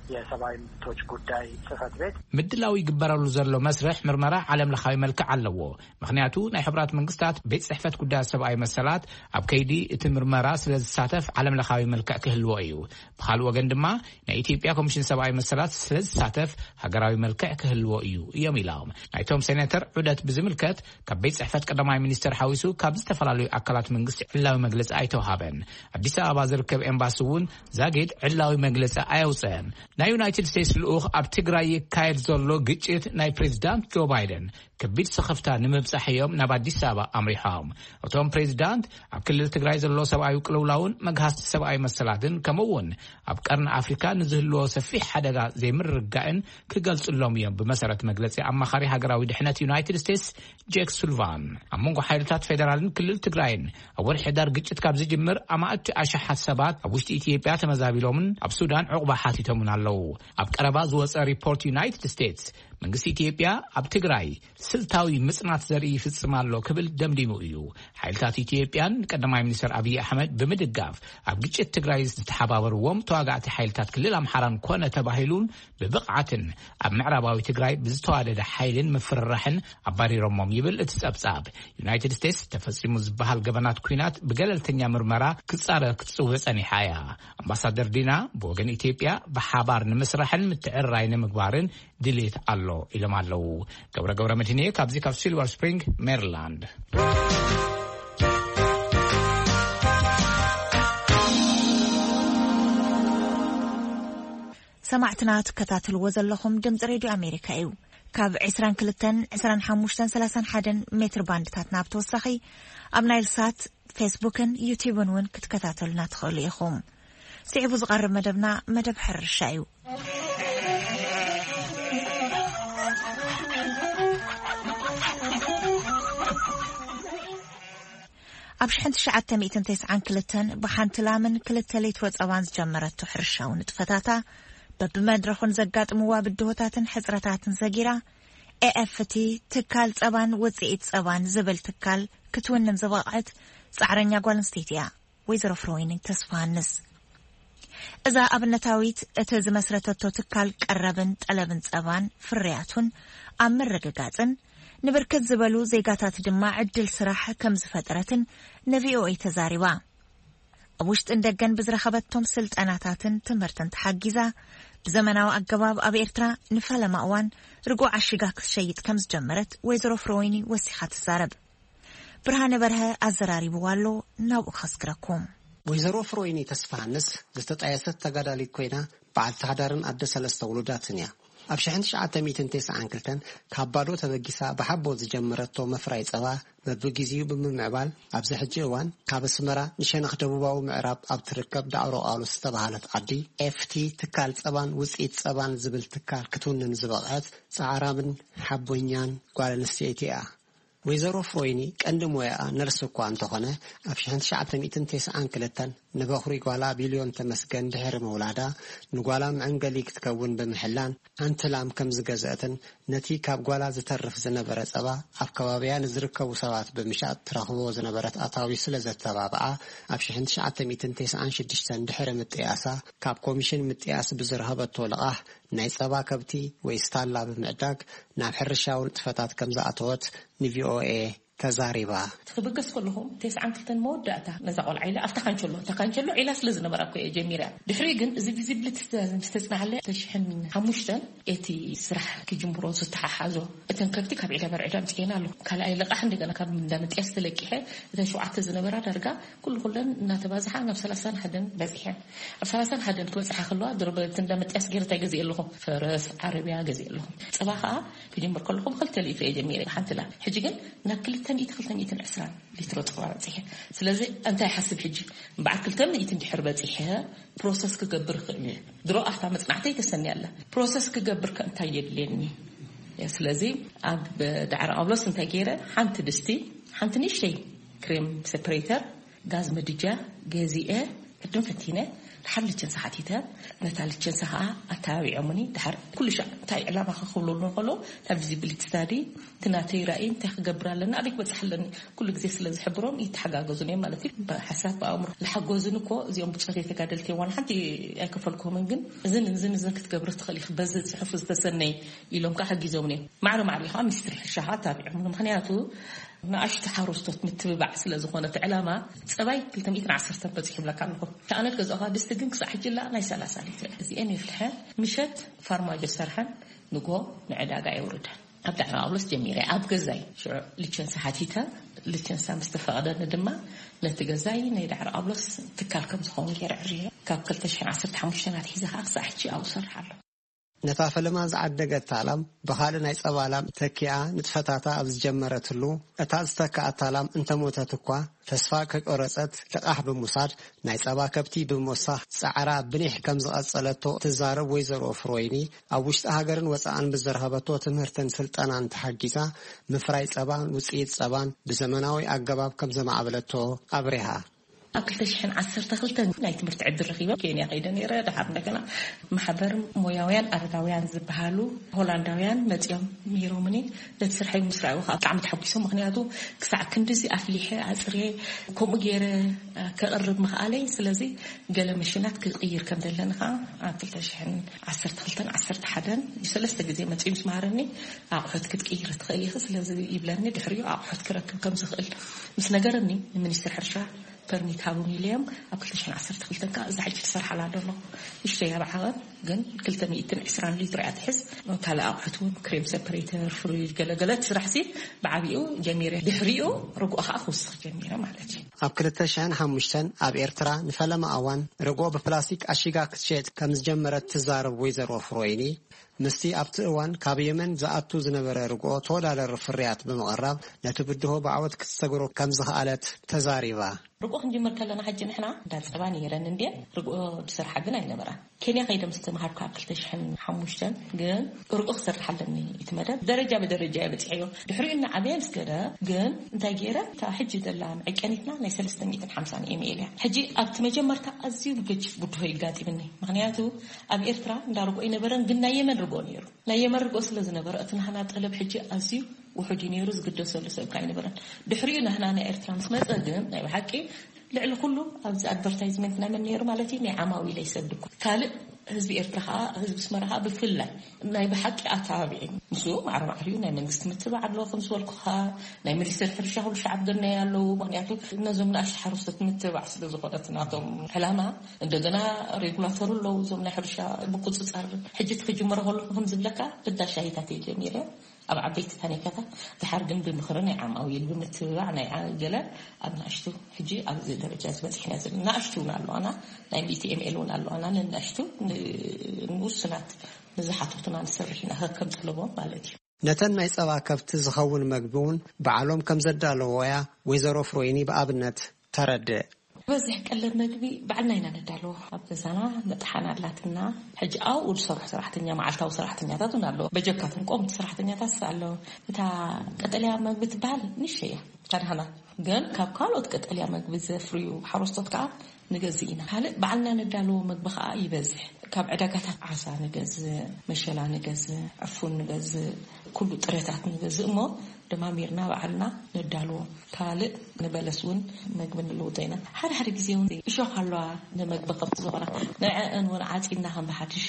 የሰብአዊ መብቶች ጉዳይ ጽህፈት ቤት፣ ምድላው ይግበረሉ ዘሎ መስርሕ ምርመራ ዓለም ለኻዊ መልክዕ ኣለዎ። ምክንያቱ ናይ ሕብራት መንግስታት ቤት ጽሕፈት ጉዳያት ሰብኣዊ መሰላት ኣብ ከይዲ እቲ ምርመራ ስለ ዝሳተፍ ዓለም ለኻዊ መልክዕ ክህልዎ እዩ። ብኻልእ ወገን ድማ ናይ ኢትዮጵያ ኮሚሽን ሰብኣዊ መሰላት ስለ ዝሳተፍ ሃገራዊ መልክዕ ክህልዎ እዩ እዮም ኢሎም። ናይቶም ሴኔተር ዑደት ብዝምልከት ካብ ቤት ጽሕፈት ቀዳማይ ሚኒስትር ሓዊሱ ካብ ዝተፈላለዩ ኣካላት መንግስቲ ዕላዊ መግለጺ ኣይተውሃበን። ኣዲስ ኣበባ ዝርከብ ኤምባሲ እውን ዛጊድ ዕላዊ መግለጺ ኣየውፅአን። ናይ ዩናይትድ ስቴትስ ልኡኽ ኣብ ትግራይ ይካየድ ዘሎ ግጭት ናይ ፕሬዚዳንት ጆ ባይደን ከቢድ ስኽፍታ ንምብጻሕ እዮም ናብ ኣዲስ ኣበባ ኣምሪሖም። እቶም ፕሬዚዳንት ኣብ ክልል ትግራይ ዘሎ ሰብኣዊ ቅልውላውን መግሃስቲ ሰብኣዊ መሰላትን ከምኡ እውን ኣብ ቀርኒ ኣፍሪካ ንዝህልዎ ሰፊሕ ሓደጋ ዘይምርግጋእን ክገልጽሎም እዮም፣ ብመሰረት መግለጺ ኣማኻሪ ሃገራዊ ድሕነት ዩናይትድ ስቴትስ ጄክ ሱልቫን። ኣብ መንጎ ሓይልታት ፌደራልን ክልል ትግራይን ኣብ ወርሒ ሕዳር ግጭት ካብ ዝጅምር ኣማእቲ ኣሽሓት ሰባት ኣብ ውሽጢ ኢትዮጵያ ተመዛቢሎምን ኣብ ሱዳን ዕቑባ ሓቲቶምን ኣለዉ። ኣብ ቀረባ ዝወጸ ሪፖርት ዩናይትድ ስቴትስ መንግስቲ ኢትዮጵያ ኣብ ትግራይ ስልታዊ ምጽናት ዘርኢ ይፍጽም ኣሎ ክብል ደምዲሙ እዩ። ሓይልታት ኢትዮጵያን ቀዳማይ ሚኒስትር ኣብይ ኣሕመድ ብምድጋፍ ኣብ ግጭት ትግራይ ዝተሓባበርዎም ተዋጋእቲ ሓይልታት ክልል ኣምሓራን ኮነ ተባሂሉን ብብቕዓትን ኣብ ምዕራባዊ ትግራይ ብዝተዋደደ ሓይልን ምፍርራሕን ኣባሪሮሞም ይብል እቲ ጸብጻብ። ዩናይትድ ስቴትስ ተፈጺሙ ዝበሃል ገበናት ኲናት ብገለልተኛ ምርመራ ክጻረ ክትጽውዕ ጸኒሓ እያ። ኣምባሳደር ዲና ብወገን ኢትዮጵያ ብሓባር ንምስራሕን ምትዕርራይ ንምግባርን ድሌት ኣሎ ኢሎም ኣለዉ። ገብረ ገብረ መድህንየ ካብዚ ካብ ሲልቨር ስፕሪንግ ሜሪላንድ። ሰማዕትና ትከታተልዎ ዘለኹም ድምፂ ሬድዮ ኣሜሪካ እዩ። ካብ ዕስራን ክልተን፣ ዕስራን ሓሙሽተን፣ ሰላሳን ሓደን ሜትር ባንድታትና ብተወሳኺ ኣብ ናይል ሳት፣ ፌስቡክን ዩቲዩብን እውን ክትከታተሉና ትኽእሉ ኢኹም። ስዒቡ ዝቐርብ መደብና መደብ ሕርሻ እዩ። ኣብ ሽሕን ትሽዓተ ሚእትን ተስዓን ክልተን ብሓንቲ ላምን ክልተ ሊትሮ ጸባን ዝጀመረቶ ሕርሻዊ ንጥፈታታ፣ በብመድረኹን ዘጋጥምዋ ብድሆታትን ሕጽረታትን ዘጊራ፣ ኤኤፍቲ ትካል ጸባን ውጽኢት ጸባን ዝብል ትካል ክትውንን ዝበቕዐት ጻዕረኛ ጓል ኣንስተይቲ እያ። ወይዘሮ ፍሮይኒ ተስፋሃንስ። እዛ ኣብነታዊት እቲ ዝመስረተቶ ትካል ቀረብን ጠለብን ጸባን ፍርያቱን ኣብ ምርግጋጽን ንብርክት ዝበሉ ዜጋታት ድማ ዕድል ስራሕ ከም ዝፈጠረትን ንቪኦኤ ተዛሪባ። ኣብ ውሽጥን ደገን ብዝረኸበቶም ስልጠናታትን ትምህርትን ተሓጊዛ ብዘመናዊ ኣገባብ ኣብ ኤርትራ ንፈለማ እዋን ርጉእ ዓሺጋ ክትሸይጥ ከም ዝጀመረት ወይዘሮ ፍሮይኒ ወሲኻ ትዛረብ። ብርሃነ በርሀ ኣዘራሪብዋ ኣሎ፣ ናብኡ ከስግረኩም። ወይዘሮ ፍሮይኒ ተስፋሃንስ ዝተጣየሰት ተጋዳሊት ኮይና፣ በዓልቲ ሓዳርን ኣደ ሰለስተ ውሉዳትን እያ። ኣብ ሽሕን ትሽዓተ ሚእትን ተስዓን ክልተን ካብ ባዶ ተበጊሳ ብሓቦ ዝጀመረቶ መፍራይ ጸባ በብግዜኡ ብምምዕባል፣ ኣብዚ ሕጂ እዋን ካብ ኣስመራ ንሸነኽ ደቡባዊ ምዕራብ ኣብ ትርከብ ዳዕሮ ቃሉስ ዝተባህለት ዓዲ፣ ኤፍቲ ትካል ጸባን ውጽኢት ጸባን ዝብል ትካል ክትውንን ዝበቕዐት ጻዕራምን ሓቦኛን ጓል ኣንስተይቲ እያ። ወይዘሮ ፍሮይኒ ቀንዲ ሞያኣ ነርስ እኳ እንተኾነ፣ ኣብ ሽሕን ትሽዓተ ሚእትን ተስዓን ክልተን ንበኹሪ ጓላ ቢልዮን ተመስገን ድሕሪ ምውላዳ፣ ንጓላ መዐንገሊ ክትከውን ብምሕላን ሓንቲ ላም ከም ዝገዝአትን ነቲ ካብ ጓላ ዝተርፍ ዝነበረ ጸባ ኣብ ከባቢያ ንዝርከቡ ሰባት ብምሻጥ ትረኽቦ ዝነበረት ኣታዊ ስለ ዘተባብዓ፣ ኣብ ሽሕን ትሽዓተ ሚእትን ተስዓን ሽዱሽተን ድሕሪ ምጥያሳ ካብ ኮሚሽን ምጥያስ ብዝረኸበቶ ልቓሕ ናይ ጸባ ከብቲ ወይ ስታላ ብምዕዳግ ናብ ሕርሻዊ ንጥፈታት ከም ዝኣተወት ንቪኦኤ ተዛሪባ። ክብገስ ከለኹ፣ ተስዓን ክልተን መወዳእታ ነዛ ቆልዓ ኢለ ኣብታ ካንቸሎ፣ እታ ካንቸሎ ዒላ ስለ ዝነበራ እኮ እየ ጀሚረ። ድሕሪ ግን እዚ ቪዚብሊቲ ምስ ተጽናሓለ፣ ተሽሕን ሓሙሽተን እቲ ስራሕ ክጅምሮ ዝተሓሓዞ፣ እተን ከብቲ ካብ ዒላ በርዒዳ ኣምጺኤን ኣለኹ። ካልኣይ ልቓሕ እንደገና ካብ እንዳ ምጥያስ ተለቂሐ፣ እተን ሸውዓተ ዝነበራ ዳርጋ ኩሉ ኩለን እናተባዝሓ ናብ ሰላሳን ሓደን በጺሐን። ኣብ ሰላሳን ሓደን ክበጽሓ ከለዋ፣ ድሮ በቲ እንዳ ምጥያስ ገይረ እንታይ ገዚኤ ኣለኹ? ፈረስ፣ ዓረብያ ገዚኤ ኣለኹ። ጸባ ከኣ ክጅምር ከለኹ ብክልተ ሊትሮ እየ ጀሚረ፣ ሓንቲ ላም። ሕጂ ግን ናብ ክልተ ሚእቲ፣ ክልተ ሚእትን ዕስራን ሊትሮ ጸባ በጺሐ። ስለዚ እንታይ ይሓስብ ሕጂ? እምበዓር ክልተ ሚእቲ እንድሕር በጺሐ ፕሮሰስ ክገብር እኽእል እየ። ድሮ ኣብታ መጽናዕተይ ተሰንያ ኣላ። ፕሮሰስ ክገብር ከ እንታይ የድልየኒ? ስለዚ ኣብ ዳዕሮ ቃሉስ እንታይ ገይረ? ሓንቲ ድስቲ፣ ሓንቲ ንእሽተይ ክሬም ሴፐሬተር፣ ጋዝ ምድጃ ገዚኤ፣ ቅድም ፈቲነ፣ ድሓር ልቸንሳ ሓቲተ፣ ነታ ልቸንሳ ከዓ ኣተባቢዖምኒ። ድሓር ኩሉ ሻዕ እንታይ ዕላማ ክኽብሉ እንከሎ፣ ናብ ቪዚቢሊቲ ስታዲ፣ እቲ ናተይ ራእይ እንታይ ክገብር ኣለና፣ ኣበይ ክበፅሕ ኣለኒ፣ ኩሉ ግዜ ስለ ዝሕብሮም ይተሓጋገዙን እዮም ማለት እዩ። ብሓሳብ ብኣእምሮ ዝሓገዙን እኮ እዚኦም ብፆት ተጋደልቲ እዋን ሓንቲ ኣይከፈልኩምን፣ ግን እዝን እዝን እዝን ክትገብር ትኽእል ኢኺ፣ በዚ ፅሑፍ ዝተሰነይ ኢሎም ከዓ ሓጊዞምኒ እዮም። ማዕረ ማዕረ ከዓ ሚኒስትሪ ሕርሻ ከዓ ኣተባቢዖምኒ። ምኽንያቱ ንኣሽቱ ሓረስቶት ምትብባዕ ስለ ዝኾነ እቲ ዕላማ፣ ፀባይ ክልተ ሚእትን ዓሰርተን በፂሑ ይብለካ ኣለኹ። ከኣነት ገዛእኻ ድስቲ ግን ክሳዕ ሕጂ ላ ናይ ሰላሳ ሊትር እዚአን የፍልሐ። ምሸት ፋርማጆ ሰርሐን ንጎ ንዕዳጋ የውርደን። ኣብ ዳዕሮ ኣብሎስ ጀሚረ ኣብ ገዛይ ሽዑ ልቸንሳ ሓቲተ፣ ልቸንሳ ምስ ተፈቐደኒ ድማ ነቲ ገዛይ ናይ ዳዕሮ ኣብሎስ ትካል ከም ዝኸውን ገይረ ዕርየ። ካብ ክልተ ሽሕን ዓሰርተ ሓሙሽተን ኣትሒዘ ከዓ ክሳዕ ሕጂ ኣብኡ ሰርሕ ኣለኹ። ነታ ፈለማ ዝዓደገታ ላም ብኻልእ ናይ ጸባ ላም ተኪኣ ንጥፈታታ ኣብ ዝጀመረትሉ፣ እታ ዝተክኣታ ላም እንተሞተት እኳ ተስፋ ከይቆረጸት፣ ልቓሕ ብምውሳድ፣ ናይ ጸባ ከብቲ ብምውሳኽ ጻዕራ ብኒሕ ከም ዝቐጸለቶ ትዛረብ ወይዘሮ ፍሮይኒ፣ ኣብ ውሽጢ ሃገርን ወጻእን ብዝረኸበቶ ትምህርትን ስልጠናን ተሓጊዛ፣ ምፍራይ ጸባን ውጽኢት ጸባን ብዘመናዊ ኣገባብ ከም ዘማዕበለቶ ኣብሪሃ። ኣብ ክልተ ሽሕን ዓሰርተ ክልተን ናይ ትምህርቲ ዕድል ረኺበ ኬንያ ከይደ ነይረ። ድሓር እንደገና ማሕበር ሞያውያን ኣረጋውያን ዝበሃሉ ሆላንዳውያን መጺኦም ምሂሮምኒ። ነቲ ስርሐይ ምስ ረኣዩ ከዓ ብጣዕሚ ተሓጒሶም። ምኽንያቱ ክሳዕ ክንድዚ ኣፍሊሐ ኣጽርየ ከምኡ ገይረ ከቕርብ ምኽኣለይ። ስለዚ ገለ መሽናት ክቕይር ከም ዘለኒ ከዓ ኣብ ክልተ ሽሕን ዓሰርተ ክልተን ዓሰርተ ሓደን ሰለስተ ግዜ መጺኡ ምስ መሃረኒ፣ ኣቑሑት ክትቅይር ትኽእል ኢኺ፣ ስለዚ ይብለኒ። ድሕሪኡ ኣቑሑት ክረክብ ከም ዝኽእል ምስ ነገረኒ፣ ንሚኒስትሪ ሕርሻ ፐርሚት ሃቡኒ ኢለዮም። ኣብ ክልተ ሽሕን ዓሰርተ ክልተን ከዓ እዛ ሕጂ ትሰርሓላ ዘለኹ ንእሽተይ ኣብ ዓቐብ ግን ክልተ ሚእትን ዕስራን ሊትሮ እያ ትሕዝ። ካልእ ኣቑሑት እውን ክሬም ሰፐሬተር፣ ፍሪጅ፣ ገለገለ እቲ ስራሕሲ ብዓቢኡ ጀሚረ። ድሕሪኡ ርግኦ ከዓ ክውስኽ ጀሚረ ማለት እዩ። ኣብ ክልተ ሽሕን ሓሙሽተን ኣብ ኤርትራ ንፈለማ እዋን ርግኦ ብፕላስቲክ ኣሺጋ ክትሸጥ ከም ዝጀመረት ትዛረብ ወይዘሮ ፍሮይኒ፣ ምስቲ ኣብቲ እዋን ካብ የመን ዝኣቱ ዝነበረ ርግኦ ተወዳዳሪ ፍርያት ብምቕራብ ነቲ ብድሆ ብዓወት ክትሰግሮ ከም ዝኸኣለት ተዛሪባ። ርግኦ ክንጅምር ከለና ሕጂ ንሕና እንዳ ጸባ ነይረን እንድየን፣ ርግኦ ዝሰርሓ ግን ኣይነበራን። ኬንያ ከይደ ምስ ተምሃርኩ ኣብ ክልተ ሽሕን ሓሙሽተን ግን ርግኦ ክሰርሕ ኣለኒ እቲ መደብ ደረጃ ብደረጃ እየ በጺሐዮ። ድሕሪኡ እናዓበየ ምስ ከደ ግን እንታይ ገይረ፣ እታ ሕጂ ዘላ መዐቀኒትና ናይ ሰለስተ ሚእትን ሓምሳን ኤምኤል እያ። ሕጂ ኣብቲ መጀመርታ ኣዝዩ ገጅፍ ብድሆ ይጋጢምኒ። ምኽንያቱ ኣብ ኤርትራ እንዳ ርግኦ ኣይነበረን፣ ግን ናይ የመን ርግኦ ነይሩ። ናይ የመን ርግኦ ስለ ዝነበረ እቲ ናህና ጠለብ ሕጂ ኣዝዩ ውሑድ እዩ ነይሩ፣ ዝግደሰሉ ሰብ ከ ኣይነበረን። ድሕሪኡ ናህና ናይ ኤርትራ ምስ መጸ ግን ናይ ብሓቂ ልዕሊ ኩሉ ኣብዚ ኣድቨርታይዝመንት ናይ መን ነይሩ ማለት እዩ? ናይ ዓማዊለይ ሰብ ድኳ። ካልእ ህዝቢ ኤርትራ ከኣ፣ ህዝቢ ኣስመራ ከኣ ብፍላይ ናይ ብሓቂ ኣተባቢዑ። ንሱ ማዕረ ማዕሪኡ ናይ መንግስቲ ምትብባዕ ኣለዎ፣ ከም ዝበልኩኻ፣ ናይ ሚኒስትሪ ሕርሻ ኩሉ ሻዕ ኣብ ጎነይ ኣለዉ። ምኽንያቱ ነዞም ንኣሽቱ ሓረስቶት ምትብባዕ ስለ ዝኾነ እቲ ናቶም ዕላማ። እንደገና ሬጉላተሩ ኣለዉ፣ እዞም ናይ ሕርሻ ምቁጽጻር። ሕጂ እቲ ክጅምሮ ከለኹ ከም ዝብለካ፣ ብዳ ሻሂታት እየ ጀሚረ። ኣብ ዓበይቲ ታኒካታት፣ ድሓር ግን ብምኽሪ ናይ ዓማዊል፣ ብምትብባዕ ናይ ዓ-፣ ገለ ኣብ ንኣሽቱ፣ ሕጂ ኣብዚ ደረጃ እዚ በጺሕና ዘለና። ንኣሽቱ እውን ኣለዋና፣ ናይ ሚእቲ ኤምኤል እውን ኣለዋና። ንንኣሽቱ፣ ን-፣ ንውሱናት ንዝሓተቱና ንሰርሕ ኢና፣ ከከም ጠለቦም ማለት እዩ። ነተን ናይ ጸባ ከብቲ ዝኸውን መግቢ እውን ባዕሎም ከም ዘዳለዎ እያ ወይዘሮ ፍሮይኒ ብኣብነት ተረድእ። ዝበዝሕ ቀለብ መግቢ ባዕልና ኢና ነዳለዎ። ኣብ ገዛና መጥሓን ኣላትና። ሕጂ ኣብኡ ዝሰርሑ ሰራሕተኛ፣ መዓልታዊ ሰራሕተኛታት እውን ኣለዉ። በጀካቶም ቆምቲ ሰራሕተኛታት ኣለዉ። እታ ቀጠልያ መግቢ ትበሃል ንእሽተይ እያ፣ እታ ደህና። ግን ካብ ካልኦት ቀጠልያ መግቢ ዘፍርዩ ሓረስቶት ከዓ ንገዝእ ኢና። ካልእ ባዕልና ነዳለዎ መግቢ ከዓ ይበዝሕ። ካብ ዕዳጋታት ዓሳ ንገዝእ፣ መሸላ ንገዝእ፣ ዕፉን ንገዝእ፣ ኩሉ ጥረታት ንገዝእ እሞ ደማሚርና ባዕልና ነዳልዎ። ካልእ ንበለስ እውን መግቢ ንልውጦ ኢና። ሓደ ሓደ ግዜ እውን እሾኽ ኣለዋ፣ ንመግቢ ከብቲ ዝኾና፣ ንዐአን እውን ዓፂድና ከም ብሓድሽ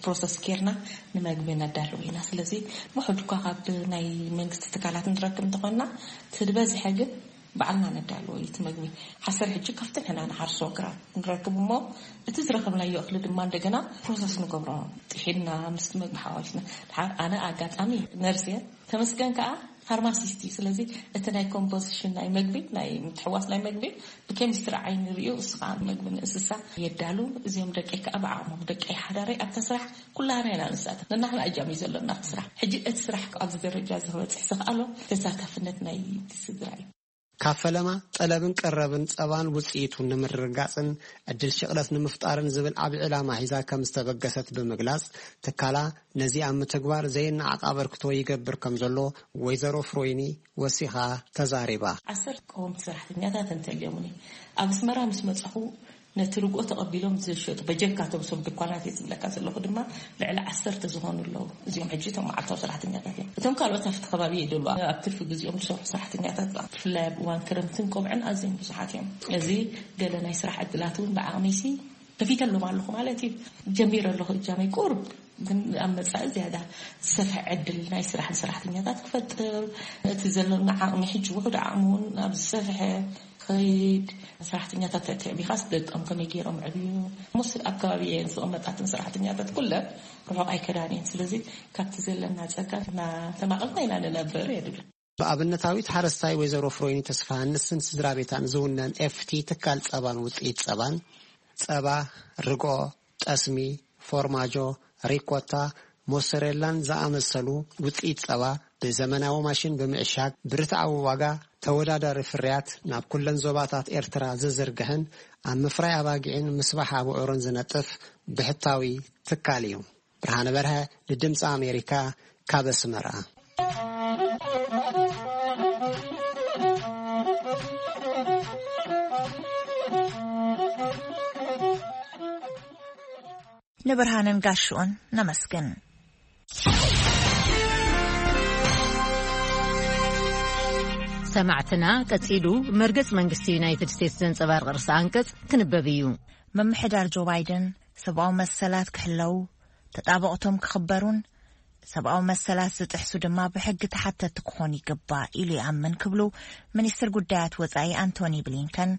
ፕሮሰስ ጌርና ንመግቢ ነዳልዎ ኢና። ስለዚ ውሑድ እኳ ካብ ናይ መንግስቲ ትካላት ንረክብ እንተኾንና፣ እቲ ዝበዝሐ ግን ባዕልና ነዳልዎ እዩ እቲ መግቢ። ሓሰር ሕጂ ካብቲ ንሕና ንሓርሶ ግራት ንረክብ እሞ፣ እቲ ዝረኸብናዮ እኽሊ ድማ እንደገና ፕሮሰስ ንገብሮ። ጥሒንና ምስቲ መግቢ ሓዋዊስና። ድሓር ኣነ ኣጋጣሚ ነርስ እየ፣ ተመስገን ከኣ ፋርማሲስት እዩ። ስለዚ እቲ ናይ ኮምፖዚሽን ናይ መግቢ፣ ናይ ምትሕዋስ ናይ መግቢ ብኬሚስትሪ ዓይኒ ርእዩ፣ እሱ ከኣ መግቢ ንእንስሳ የዳሉ። እዚኦም ደቀይ ከኣ ብዓቕሞም፣ ደቀይ ሓዳረይ ኣብታ ስራሕ ኩላህና ኢና ንሳተፍ። ነናሕና እጃም እዩ ዘለና ኣብቲ ስራሕ። ሕጂ እቲ ስራሕ ኣብዚ ደረጃ እዚ ክበጽሕ ዝኸኣሎ ተሳታፍነት ናይ ስድራ እዩ። ካብ ፈለማ ጠለብን ቀረብን ጸባን ውጽኢቱን ንምርግጋጽን ዕድል ሽቕለት ንምፍጣርን ዝብል ዓቢ ዕላማ ሒዛ ከም ዝተበገሰት ብምግላጽ፣ ትካላ ነዚ ኣብ ምትግባር ዘይነዓቕ ኣበርክቶ ይገብር ከም ዘሎ ወይዘሮ ፍሮይኒ ወሲኻ ተዛሪባ። ዓሰርተ ቀወምቲ ሰራሕተኛታት እንተልዮምኒ፣ ኣብ ኣስመራ ምስ መጻኹ ነቲ ርግኦ ተቐቢሎም ዝሸጡ በጀካቶም፣ እቶም ድኳናት እየ ዝብለካ ዘለኹ ድማ፣ ልዕሊ ዓሰርተ ዝኾኑ ኣለዉ። እዚኦም ሕጂ እቶም መዓልታዊ ሰራሕተኛታት እዮም። እቶም ካልኦት ኣብቲ ከባቢ ይደሉ ኣብ ትርፊ ግዜኦም ዝሰርሑ ሰራሕተኛታት፣ ብፍላይ ኣብ እዋን ክረምትን ቆብዕን ኣዝዮም ብዙሓት እዮም። እዚ ገለ ናይ ስራሕ ዕድላት እውን ብዓቕሚሲ ከፊተሎም ኣለኹ ማለት እዩ። ጀሚረ ኣለኹ እጃመይ ቁሩብ፣ ግን ኣብ መጻኢ ዝያዳ ዝሰፍሐ ዕድል ናይ ስራሕ ንሰራሕተኛታት ክፈጥር፣ እቲ ዘለና ዓቕሚ ሕጂ ውሑድ ዓቕሚ እውን ናብ ዝሰፍሐ ክኸይድ፣ ሰራሕተኛታት ተዕቢኻስ ደቆም ከመይ ገይሮም ዕብዩ? ሙስ ኣብ ከባቢ እየን ዝቕመጣትን ሰራሕተኛታት ኩለን ርሑቕ ኣይከዳን እየን። ስለዚ ካብቲ ዘለና ጸጋ እናተማቐልና ኢና ንነብር የድብል። ብኣብነታዊት ሓረስታይ ወይዘሮ ፍሮይኒ ተስፋሃንስን ስድራ ቤታን ዝውነን ኤፍቲ ትካል ጸባን ውጽኢት ጸባን፣ ጸባ፣ ርጎ፣ ጠስሚ፣ ፎርማጆ፣ ሪኮታ፣ ሞሰሬላን ዝኣመሰሉ ውጽኢት ጸባ ብዘመናዊ ማሽን ብምዕሻግ ብርትዓዊ ዋጋ ተወዳዳሪ ፍርያት ናብ ኩለን ዞባታት ኤርትራ ዝዝርግሕን ኣብ ምፍራይ ኣባጊዕን ምስባሕ ኣቡዑርን ዝነጥፍ ብሕታዊ ትካል እዩ። ብርሃነ በርሀ ንድምፂ ኣሜሪካ ካብ ኣስመራ። ንብርሃንን ጋሽኡን ነመስግን። ሰማዕትና፣ ቀጺሉ መርገጽ መንግስቲ ዩናይትድ ስቴትስ ዘንጸባርቕ ርእሰ ኣንቀጽ ክንበብ እዩ። ምምሕዳር ጆ ባይደን ሰብኣዊ መሰላት ክሕለዉ፣ ተጣበቕቶም ክኽበሩን ሰብኣዊ መሰላት ዝጥሕሱ ድማ ብሕጊ ተሓተቲ ክኾኑ ይግባእ ኢሉ ይኣምን ክብሉ ሚኒስትር ጉዳያት ወጻኢ ኣንቶኒ ብሊንከን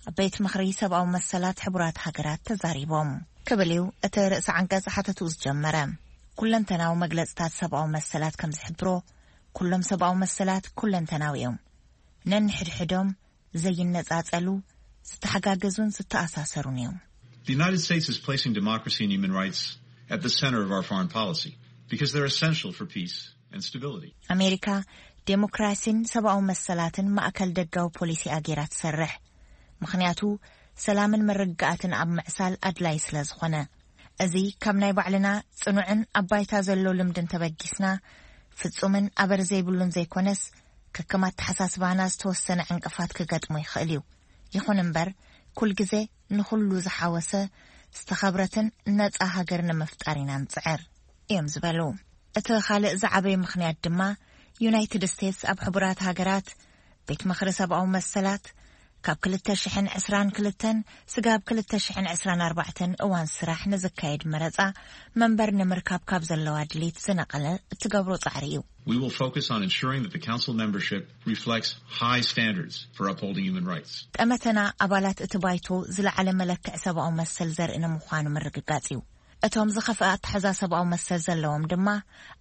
ኣብ ቤት ምኽሪ ሰብኣዊ መሰላት ሕቡራት ሃገራት ተዛሪቦም። ክብል እዩ እቲ ርእሰ ዓንቀጽ ሓተትኡ ዝጀመረ። ኩለንተናዊ መግለጽታት ሰብኣዊ መሰላት ከም ዝሕብሮ፣ ኩሎም ሰብኣዊ መሰላት ኩለንተናዊ እዮም። ነንሕድሕዶም ዘይነጻጸሉ፣ ዝተሓጋገዙን ዝተኣሳሰሩን እዮም። The United States is placing democracy and human rights at the center of our foreign policy because they're essential for peace and stability. ኣሜሪካ ዴሞክራሲን ሰብኣዊ መሰላትን ማእከል ደጋዊ ፖሊሲኣ ገይራ ትሰርሕ። ምኽንያቱ ሰላምን መረጋጋእትን ኣብ ምዕሳል ኣድላይ ስለ ዝኾነ። እዚ ካብ ናይ ባዕልና ጽኑዕን ኣብ ባይታ ዘሎ ልምድን ተበጊስና፣ ፍጹምን ኣበር ዘይብሉን ዘይኮነስ፣ ከከም ኣተሓሳስባና ዝተወሰነ ዕንቅፋት ክገጥሞ ይኽእል እዩ። ይኹን እምበር፣ ኩል ግዜ ንኹሉ ዝሓወሰ ዝተኸብረትን ነጻ ሃገር ንምፍጣር ኢና ንጽዕር እዮም ዝበሉ። እቲ ካልእ ዝዓበየ ምኽንያት ድማ፣ ዩናይትድ ስቴትስ ኣብ ሕቡራት ሃገራት ቤት ምኽሪ ሰብኣዊ መሰላት ካብ ክልተ ሽሕን ዕስራን ክልተን ስጋብ ክልተ ሽሕን ዕስራን ኣርባዕተን እዋን ስራሕ ንዝካየድ መረጻ መንበር ንምርካብ ካብ ዘለዋ ድሌት ዝነቐለ እትገብሮ ጻዕሪ እዩ። We will focus on ensuring that the council membership reflects high standards for upholding human rights. ጠመተና ኣባላት እቲ ባይቶ ዝለዓለ መለክዕ ሰብኣዊ መሰል ዘርኢ ንምዃኑ ምርግጋጽ እዩ። እቶም ዝኸፍአ ኣተሓዛ ሰብኣዊ መሰል ዘለዎም ድማ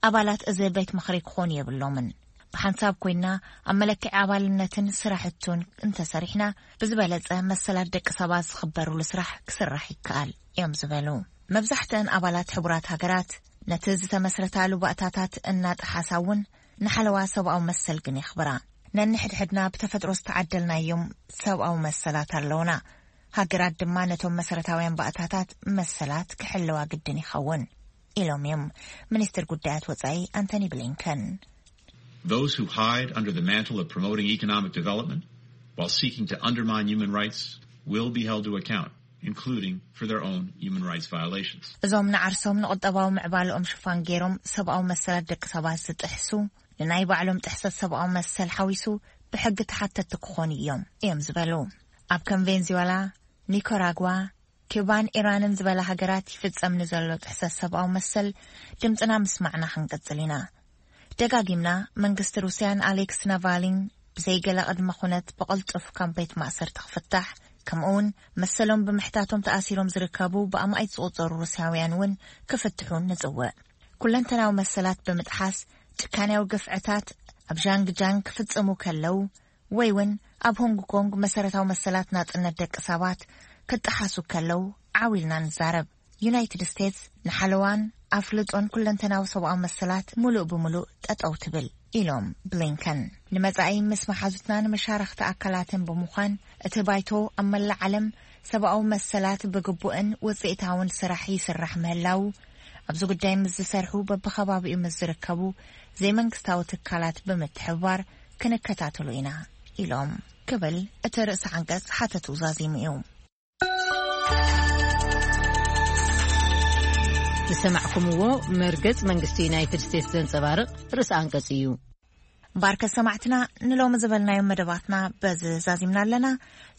ኣባላት እዚ ቤት ምኽሪ ክኾኑ የብሎምን። ብሓንሳብ ኮይና ኣብ መለክዒ ኣባልነትን ስራሕቱን እንተሰሪሕና፣ ብዝበለጸ መሰላት ደቂ ሰባት ዝኽበሩሉ ስራሕ ክስራሕ ይከኣል እዮም ዝበሉ። መብዛሕትአን ኣባላት ሕቡራት ሃገራት ነቲ ዝተመስረታሉ ባእታታት እናጠሓሳ እውን ንሓለዋ ሰብኣዊ መሰል ግን የኽብራ። ነንሕድሕድና ብተፈጥሮ ዝተዓደልናዮም ሰብኣዊ መሰላት ኣለውና። ሃገራት ድማ ነቶም መሰረታውያን ባእታታት መሰላት ክሕልዋ ግድን ይኸውን ኢሎም እዮም ሚኒስትር ጉዳያት ወጻኢ ኣንቶኒ ብሊንከን። Those who hide under the mantle of promoting economic development while seeking to undermine human rights will be held to account, including for their own human rights violations. እዞም ንዓርሶም ንቁጠባዊ ምዕባለኦም ሽፋን ገይሮም ሰብኣዊ መሰላት ደቂ ሰባት ዝጥሕሱ፣ ንናይ ባዕሎም ጥሕሰት ሰብኣዊ መሰል ሓዊሱ ብሕጊ ተሓተቲ ክኾኑ እዮም እዮም ዝበሉ። ኣብ ከም ቬንዙዌላ፣ ኒካራጓ፣ ኪባን ኢራንን ዝበላ ሃገራት ይፍጸም ንዘሎ ጥሕሰት ሰብኣዊ መሰል ድምጽና ምስማዕና ክንቅጽል ኢና። ደጋጊምና መንግስቲ ሩስያን ኣሌክስ ናቫሊን ብዘይገለ ቅድመ ኩነት ብቕልጡፍ ካብ ቤት ማእሰርቲ ክፍታሕ፣ ከምኡውን መሰሎም ብምሕታቶም ተኣሲሮም ዝርከቡ ብኣማኢት ዝቑጸሩ ሩስያውያን እውን ክፍትሑ ንጽውዕ። ኩለንተናዊ መሰላት ብምጥሓስ ጭካንያዊ ግፍዕታት ኣብ ዣንግጃንግ ክፍጽሙ ከለዉ፣ ወይ እውን ኣብ ሆንግ ኮንግ መሰረታዊ መሰላት ናጽነት ደቂ ሰባት ክጠሓሱ ከለዉ ዓው ኢልና ንዛረብ። ዩናይትድ ስቴትስ ንሓለዋን ኣፍልጦን ኩለንተናዊ ሰብኣዊ መሰላት ምሉእ ብምሉእ ጠጠው ትብል ኢሎም ብሊንከን። ንመጻኢ ምስ መሓዙትና ንመሻረኽቲ ኣካላትን ብምዃን እቲ ባይቶ ኣብ መላእ ዓለም ሰብኣዊ መሰላት ብግቡእን ውጽኢታውን ስራሕ ይስራሕ ምህላዉ፣ ኣብዚ ጉዳይ ምስ ዝሰርሑ በብኸባቢኡ ምስ ዝርከቡ ዘይመንግስታዊ ትካላት ብምትሕብባር ክንከታተሎ ኢና ኢሎም ክብል እቲ ርእሰ ዓንቀጽ ሓተቱ ዛዚሙ እዩ። ዝሰማዕኩምዎ መርገጽ መንግስቲ ዩናይትድ ስቴትስ ዘንጸባርቕ ርእሰ ኣንቀጽ እዩ። ባርከ ሰማዕትና፣ ንሎሚ ዝበልናዮም መደባትና በዚ ዛዚምና ኣለና።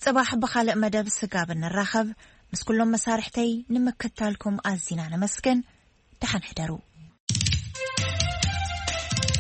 ጽባሕ ብኻልእ መደብ ስጋብ እንራኸብ፣ ምስ ኩሎም መሳርሕተይ ንምክታልኩም ኣዚና ነመስግን። ደሓን ሕደሩ።